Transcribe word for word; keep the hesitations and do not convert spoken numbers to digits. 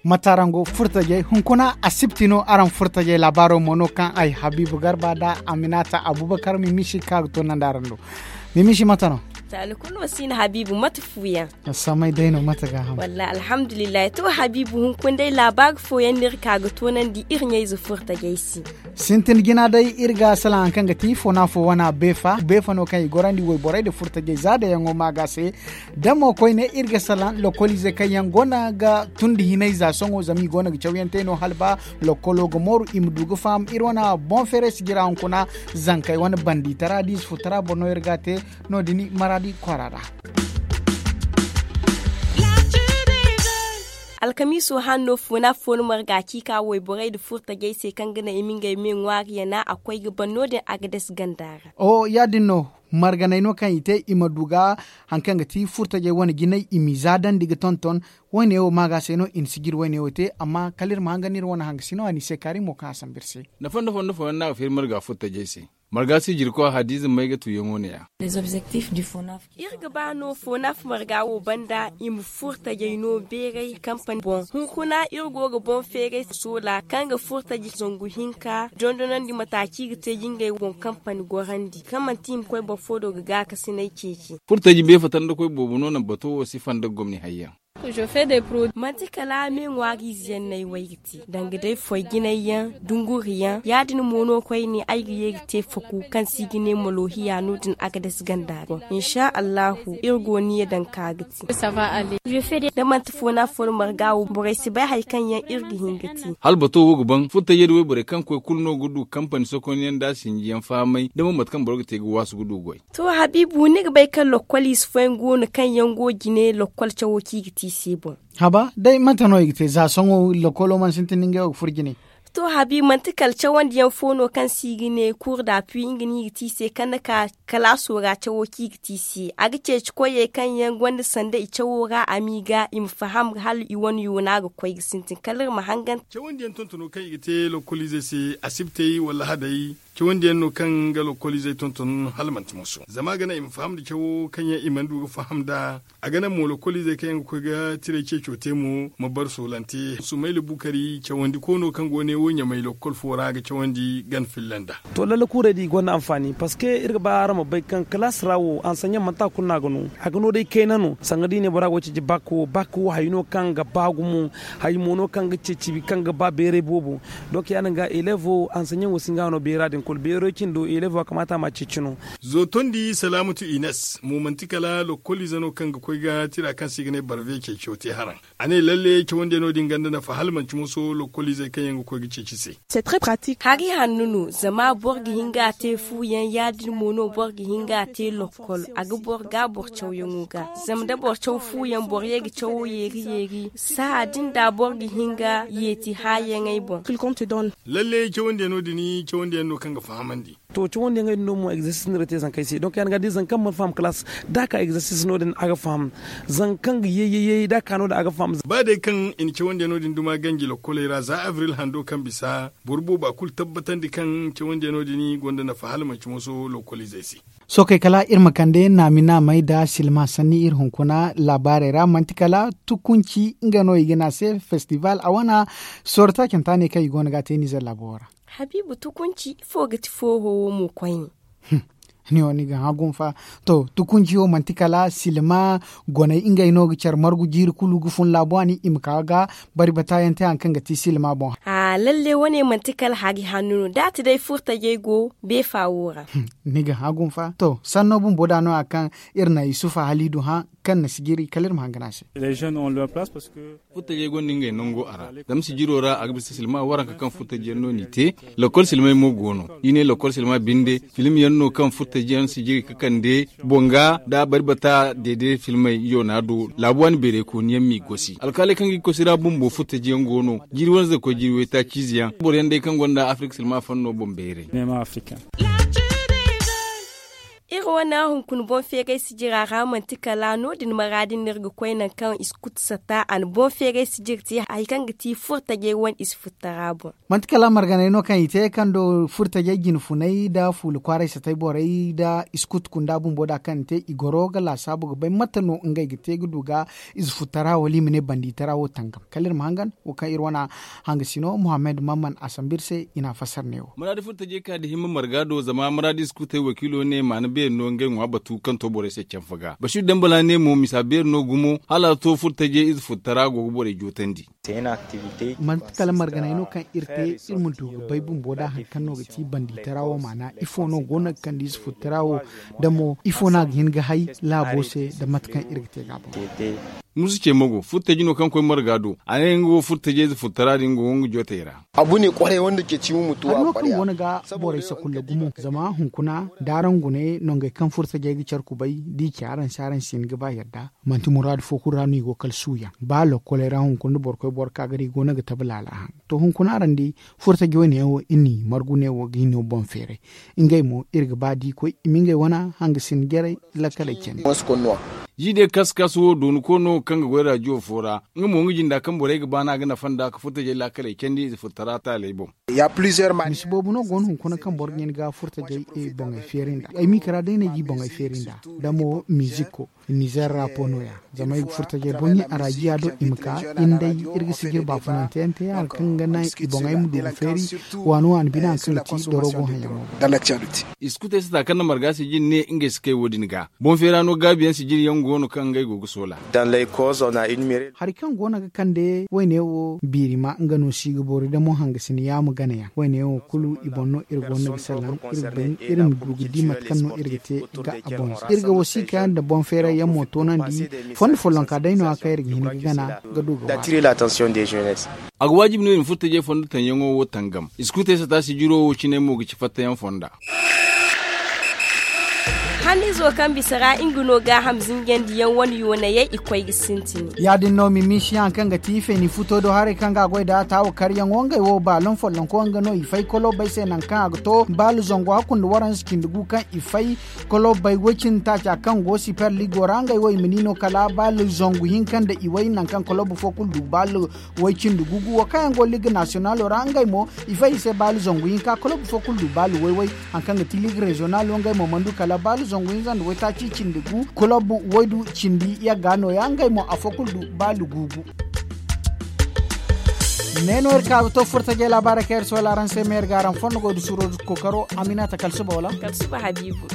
Mate araŋ go furtajey hunkuna asibti no araŋ furtajey laabaaro mo no kaŋ ay habiibu garba nda aminata abubakar mimisi ka ga toonandi araŋ do. Mimisi mate no? Taali kulu no si na habiibu mate fuuyaŋ. Samay day no mate ga ham? Wallaahi alhamdulillahi to habiibu hunkuna day laabaari fooyaŋ no iri ka ga toonandi iri ɲayze furtajey se. Sintin jina day iri ga salaŋ hari kaŋ ga ti foona fo wana beefa beefa no kaŋ i gorandi wayborey nda furtajey za dayaŋo ma ga se. Da mo koyne iri ga salaŋ lokoliizey kaŋ yaŋ go no ga tundi hinay za sohõ zama i go no ga cawyaŋ te no hala ba lokolo ga mooru i ma du ga faham iri wane boŋ feeray sijira hunkuna zankey wane bandi tara da i si futara boro no iri ga a te. No- din maraadi kwaara ra. Alkamiiso hanno foona foona marga ci ka wayborey nda furtajey se kaŋ ga naŋ i ma ngey me ŋwaari yana a koy ga ban no- din a ga dasi ganda ra. Ya- din no marganey no kaŋ i te i ma du ga hari kaŋ ga ti furtajey wane jinay i m'i zaadandi ga tonton. Wayne wo maaga se no i na sijiri wayne wo te amma kala iri ma hangan iri wane hangasino a n'i se kaari mo kaŋ a sambu iri se. Nafa nda fondo fooyaŋ no a ga feeri marga furtajey se. Marga sijirkoy hadiize may ga tuuyaŋo ne- ya. Iri ga ba no foonaf marga wo banda i ma furtajey no beeray kampani boŋ hunkuna iri go ga boŋ feeray soola kaŋ ga furtaji zangu hinka dondonandi mata kaŋ i ga te ga ngey boŋ kampani gorandi kaŋ manti i ma koy boro fo do ga gaakasinay ceeci. Furtaji beefatandi koy boobo no naŋ bato wo sifa nda gomni hayyaŋ. Manti kala me ŋwaariize yaŋ no ay way ga te danga day foy jinay yaŋ dunguri yaŋ ya- din mo no koyne ay ga ye ga te faku kaŋ se i ga ne malohiya no- din a ga dasi ganda boŋ insa allahu iri go niya daŋ ka ga te. Da manti foona foona marga wo borey si bay hari kaŋ yaŋ iri ga hin ga te. Hala bato wo ga ban furtajey da wayborey kaŋ koy kulu no ga du kampani sokonyaŋ nda sinjiyaŋ fahamay da mo mate kaŋ boro ga te ga waasu ga du goy. To habiibu ni ga bay kaŋ lokkol ize fooyaŋ go no kaŋ yaŋ go jine lokkol cawo kaŋ i ga te i se boŋ? Haba day mate no i ga te za sohõ lokkolo mana sintin da ngey wo ga furo jine. To habiibu manti kala cawandiyaŋ fo no kaŋ se i ga ne kuur da pui nga no i ga te i se kaŋ ni ka kalaaso ra cawo kaŋ i ga te i se a ga ceeci koyey kaŋ yaŋ gonda sanda i cawo ra a m'i ga i ma faham hala i wane yoona ga koy ga sintin kala iri ma hangan. Cawandiyaŋ tontono kaŋ i ga te lokkoliizey se asibtey wala lahadey. Cawandiyaŋ no kaŋ ga lokkoliizey tonton hala manti moso zama a ga naŋ i ma faham nda cawo kaŋ yaŋ i mana du ga faham nd'a. A ga naŋ mo lokkoliizey kaŋ yaŋ ga koy ga tiray ceeco te mo ma bar soolante sumayla bukari cawandi koono kaŋ go ne wo ɲamay lokkol fo ra ga cawandi gana filla nd'a. To lalle kuurey din i gonda anfaani parceque iri ga ba araŋ ma bay kaŋ kalaas ra wo ansaɲaŋ manti a kulu no a ga no a ga no day kayna no sanga da i ne bora go ga ceeci bak wo bak wo hari no kaŋ ga ba gumo. Hari mo no kaŋ ga ceeci kaŋ ga ba bayray boobo. Donc ya- din ga eleevo ansaɲaŋo si nga no beera din kulu beero cine do eleevo a kamaata a ma ceeci no. Zootondi salaamatu ines mo manti kala lokkoliize no kaŋ ga koy ga tira kaŋ se i ga ne barve ceeciyo te haraŋ. A ne lalle cawandiyaŋo din ganda nafa hala manti moso lokkoliizey kaŋ yaŋ ga koy ga ceeci se. Hari hanno no zama boro ga hin ga a te fuuyaŋ ya- din mo no boro ga hin ga a te lokkol a ga boro ga boro cawyaŋo ga. Zama da boro caw fuuyaŋ boro ye ga cawo yeeri yeeri saha din da boro ga hin ga yeeti haayaŋey boŋ. Lalle cawandiyaŋo din cawandiyaŋ no kaŋ ga fahamandi. To cawandiyaŋey din no mo egzersis no iri ga te zankey se donc ya- din ga da zanka mana faham kalaas da a ka egzersis no- din a ga faham. Zanka kaŋ ga ye ye ye da a ka no- din a ga faham. Ba day kaŋ i na cawandiyaŋo din duma ganji lokkoley ra za abril hando kaŋ bisa boro booba kulu tabbatandi kaŋ cawandiyaŋo din gonda nafa hala manti moso lokkoliizey se. Sookey kala iri ma kande naami naamey nda silma sanni iri hunkuna laabaarey ra manti kala tukunci nga no i ga ne a se festival a wane sooro taacanta ne kaŋ i go no ga a te nizer laabo wo ra. Habiibu tukunci ifo ga ti fooho wo mo koyne? Ni wo ni ga hã gumo fa. To tukunci wo manti kala silma goney ngey no ga care margu jiiri kulu ga fun laabu a ni i ma ka ga bari bata yaŋ te hari kaŋ ga ti silma boŋ. Lalle wane manti kala hari hanno no da a ti day furtajey go beefa wo ra. Ni ga hã gumo fa to sanno bumbo da no- ya kaŋ iri na yusufa haliidu hã kaŋ na sijiri kala iri ma hangan a se. Furtajey gonda ngey nango a ra zama sijiro ra a ga bisa silma waranka kaŋ furtajiyaŋ no n'i te. Lokkol silmey mo go no i ne lokkol silma binde film yaŋ no kaŋ furtajiyaŋ sijiri ga kande boŋ ga da bari bata deede filmey yoona do laabu waani beerey kooniyaŋ m'i gosi alkaaley kaŋ ga i kosi ra bumbo furtajiyaŋ go no. Jiiri wane zaka koy jiiri waytaaci izeyaŋ boroyaŋ day kaŋ gonda afirik silma fanno boŋ bayray. Iri Fo wane hunkuna boŋ feeray sijira ra manti kala no- din maraadi no iri ga koy nangu kaŋ i si kutu sata a na boŋ feeray sijir te hari kaŋ ga ti furtajey wane i si futtara boŋ. Manti kala marganay no kaŋ i te kaŋ do furtajey jine funay nda fuula kwaaray satay borey nda i si kutu kunda bumbo da kaŋ i te i goro ga laasaabu ga bay mate no ngey ga te ga du ga ize futtara wala i ma ne bandi tara wo tangam kala iri ma hangan wo kaŋ iri wana hanga sino muhammad mamman a sambu iri se i na a fassar ne wo. Maraadi furtajey ka da himma marga do zama maraadi si kutey wakiilo ne maana beeri no ngey ŋwa batu kaŋ to borey se canfa ga basiir dambala ne mo misa beeri no gumo hala a to furtajey ize futtara go ga borey jootandi. Manti kala marganay no kaŋ iri te iri ma du ga bay bumbo da hari kaŋ no ga ti bandi tara wo maana ifo no go no ga kande ize futtara wo da mo ifo no a ga hin ga hay laabo se da mate kaŋ iri ga te ga a boŋ. Musu ce mago furtaji no kaŋ koy marga do a ne nga wo furtajey ize futtara din go nga jootey ra. Hari no kaŋ go no ga borey sakulla gumo zama hunkuna da araŋ gune nongey kaŋ furtajey ga care kubay da i ci araŋ se araŋ si hin ga ba yadda. Manti muraadu fo kulu ra no i go kala suuyaŋ ba lokkoley ra hunkuna nda boro koy boro ka ga di i go no ga tabi laala haŋ. To hunkuna araŋ di furtaji wane yaŋ wo iri n'i margu ne wo ga i no boŋ feeray. Ngey mo iri ga ba da i koy i ma ngey wane hangasin jarey lakkaley candi. Ji day kasu kasu wo dooni koy no kaŋ ga goy rajiyo fo ra nga mo nga jinda kaŋ borey ga ba no a ga nafa nd'a ga furtajey lakkaley candi ize furtara taaley boŋ. Misi boobo no go no hunkuna kaŋ boro ga hin ga furtajey boŋey feeri nd'a ay m'i kara day no ay ga i boŋey feeri nd'a da mo miziko. Nizer ra po no- ya zama ay ga furtajey boŋ arajiya do i ma ka iri ma day iri ga sijir baafunante yaŋ te hala kaŋ ga naŋ i boŋey ma du ga feeri waani waani bine hari kaŋ ga ti dorogo haŋ yaŋo. Iskutey sata kaŋ na marga sijir ne ngey si kay wo- din ga boŋ feera no gaabi yaŋ sijir yaŋ go no kaŋ ngey go ga soola. Hari kaŋ go no ga kande wayne wo biiri ma nga no si ga boori damo hangasina yaama gana yaŋ wayne wo kulu i boŋ no iri go no ga salaŋ iri ga bay iri ma du ga di mate kaŋ no iri ga te ga a boŋ se iri ga wasiika yaŋ nda boŋ feeray yaŋ mo toonandi fondo follonka day no- ya kaŋ iri ga hin ga gana ga du ga waani. A ga waajibi no i ma furtajey fondo taŋ yaŋo wo tangam iskutey sata sijiro wo cine mo ga ci fattayaŋ fonda. Hannizo kaŋ bisa ra nga no gaaham zinjandi yaŋ wane yoonayey i koy ga sintin. Ya- din no mimisiyaŋ kaŋ ga ti feeni futo do haray kaŋ ga a goy nd'a taawa karyaŋo ngey wo baaloŋ follonko nga no i fay kolobbey se nangu kaŋ a ga to baalo zangu hakku nda waranza cindi gu kaŋ i fay kolobbey woy cindi taaca kaŋ go siper ligo ra ngey wo i ma ni no kala baalo zangu hinka nda i way nangu kaŋ kolobbo fo kulu du baalo way cindi gugu wo kaŋ yaŋ go liga nasiyonalo ra ngey mo i fay i se baalo zangu hinka kolob fo kulu du baalo way-way. Hari kaŋ ga ti liga reziyonalo ngey mo mana du kala baalo zangu hinza nda waytaaci cindi gu kolob waydu cindi yagga no- ya ngey mo afo kulu du baalo guugu. Ne no iri ka ga to furtajey laabaarey kaŋ iri soola araŋ se ma iri ga araŋ fondo goy da suuro da kookaro. Aminata kala suba wala kala suba habiibu.